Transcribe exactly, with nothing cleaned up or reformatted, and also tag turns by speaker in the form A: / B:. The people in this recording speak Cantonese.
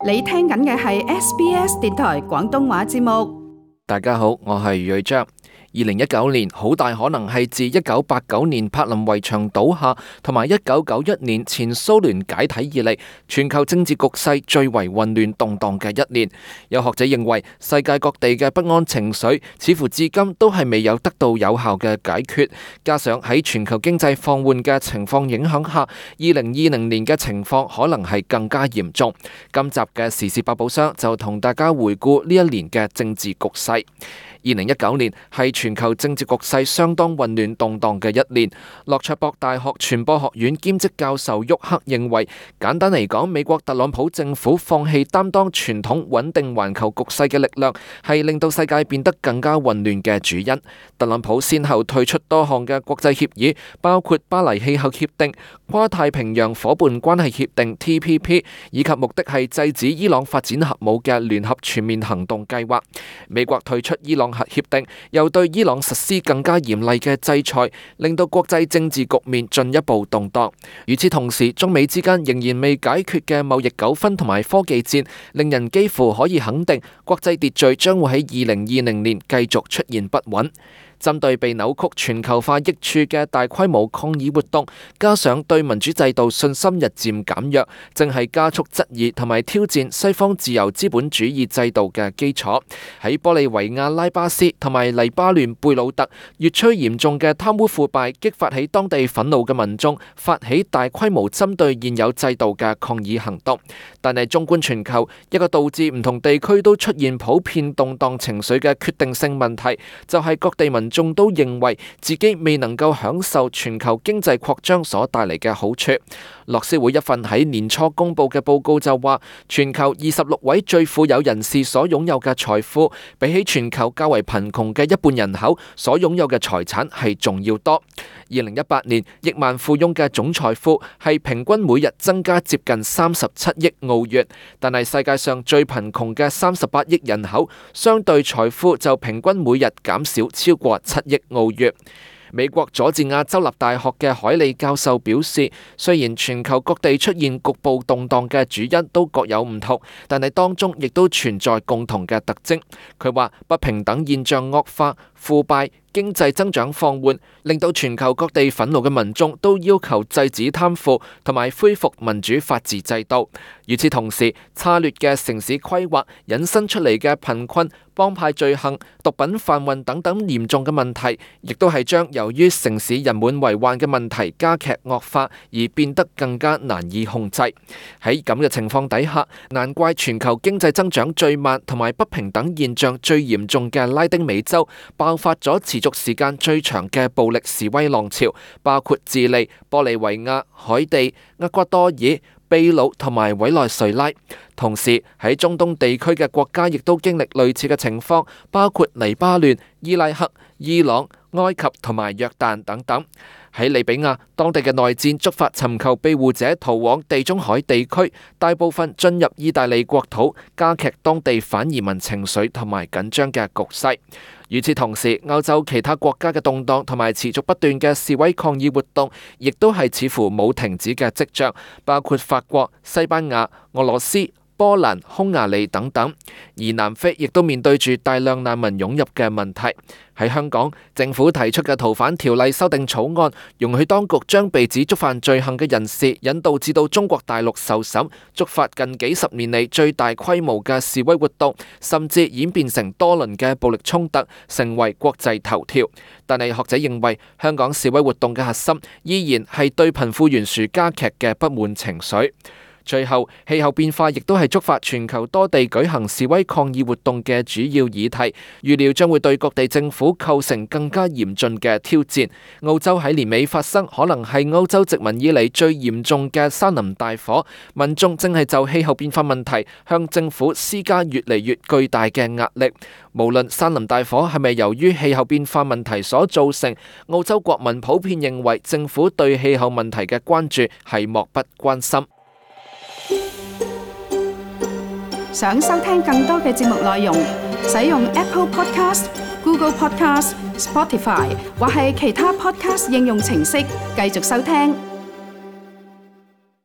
A: 你聽緊嘅係 S B S 電台廣東話節目。
B: 大家好，我係睿章。二零一九年好大可能係自一九八九年柏林圍牆倒下同埋一九九一年前蘇聯解體以嚟，全球政治局勢最為混亂動盪嘅一年。有學者認為，世界各地嘅不安情緒似乎至今都係未有得到有效嘅解決，加上喺全球經濟放緩嘅情況影響下，二零二零年嘅情況可能係更加嚴重。今集嘅時事百寶箱就同大家回顧呢一年嘅政治局勢。二零一九年係全球政治局勢相當混亂動盪嘅一年。洛卓博大學傳播學院兼職教授沃克認為，簡單嚟講，美國特朗普政府放棄擔當傳統穩定環球局勢嘅力量，係令到世界變得更加混亂嘅主因。特朗普先後退出多項嘅國際協議，包括巴黎氣候協定、跨太平洋夥伴關係協定 T P P， 以及目的係制止伊朗發展核武嘅聯合全面行動計劃。美國退出伊朗核協定，又對伊朗實施更加嚴厲嘅制裁，令到國際政治局面進一步動盪。與此同時，中美之間仍然未解決嘅貿易糾紛同埋科技戰，令人幾乎可以肯定，國際秩序將會喺二零二零年繼續出現不穩。針對被扭曲全球化益處嘅大規模抗議活動，加上對民主制度信心日漸減弱，正係加速質疑同埋挑戰西方自由資本主義制度嘅基礎。喺玻利維亞拉巴斯同埋黎巴嫩貝魯特，越趨嚴重嘅貪污腐敗激發起當地憤怒嘅民眾，發起大規模針對現有制度嘅抗議行動。但係縱觀全球，一個導致唔同地區都出現普遍動盪情緒嘅決定性問題，就係各地民眾都認為自己未能夠享受全球經濟擴張所帶嚟嘅好處。樂施會一份喺年初公布嘅報告就話，全球二十六位最富有人士所擁有嘅財富，比起全球較為貧窮嘅一半人口所擁有嘅財產係仲要多。二零一八年，億萬富翁嘅總財富係平均每日增加接近三十七億澳元，但係世界上最貧窮嘅三十八億人口，相對財富就平均每日減少超過七億澳元。美國佐治亞州立大學嘅海利教授表示，雖然全球各地出現局部動盪嘅主因都各有唔同，但係當中亦都存在共同嘅特徵。佢話不平等現象惡化、腐敗、經濟增長放緩，令到全球各地憤怒嘅民眾都要求制止貪腐同埋恢復民主法治制度。與此同時，差劣嘅城市規劃引申出嚟嘅貧困、幫派罪行、毒品販運等等嚴重嘅問題，亦都係將由於城市人滿為患嘅問題加劇惡化，而變得更加難以控制。喺咁嘅情況底下，難怪全球經濟增長最慢同埋不平等現象最嚴重嘅拉丁美洲爆發咗持續時間最長嘅暴力示威浪潮，包括智利、玻利維亞、海地、厄瓜多爾、秘魯同埋委內瑞拉。同時喺中東地區嘅國家亦都經歷類似嘅情況，包括黎巴嫩、伊拉克、伊朗、埃及同埋約旦等等。喺利比亞，當地嘅內戰觸發尋求庇護者逃往地中海地區，大部分進入意大利國土，加劇當地反移民情緒同埋緊張嘅局勢。與此同時，歐洲其他國家嘅動盪同埋持續不斷嘅示威抗議活動，亦都係似乎冇停止嘅跡象，包括法國、西班牙、俄羅斯、波蘭、匈牙利等等。而南非亦都面對住大量難民湧入嘅問題。喺香港，政府提出嘅逃犯條例修訂草案，容許當局將被指觸犯罪行嘅人士引渡至到中國大陸受審，觸發近幾十年嚟最大規模嘅示威活動，甚至演變成多輪嘅暴力衝突，成為國際頭條。但係學者認為，香港示威活動嘅核心依然係對貧富懸殊加劇嘅不滿情緒。最後，氣候變化亦都係觸發全球多地舉行示威抗議活動嘅主要議題，預料將會對各地政府構成更加嚴峻嘅挑戰。澳洲喺年尾發生可能係歐洲殖民以嚟最嚴重嘅山林大火，民眾正係就氣候變化問題向政府施加越嚟越巨大嘅壓力。無論山林大火係咪由於氣候變化問題所造成，澳洲國民普遍認為政府對氣候問題嘅關注係漠不關心。
A: 想收聽更多嘅節目內容，使用 Apple Podcast、Google Podcast、Spotify 或係其他 Podcast 應用程式繼續收聽。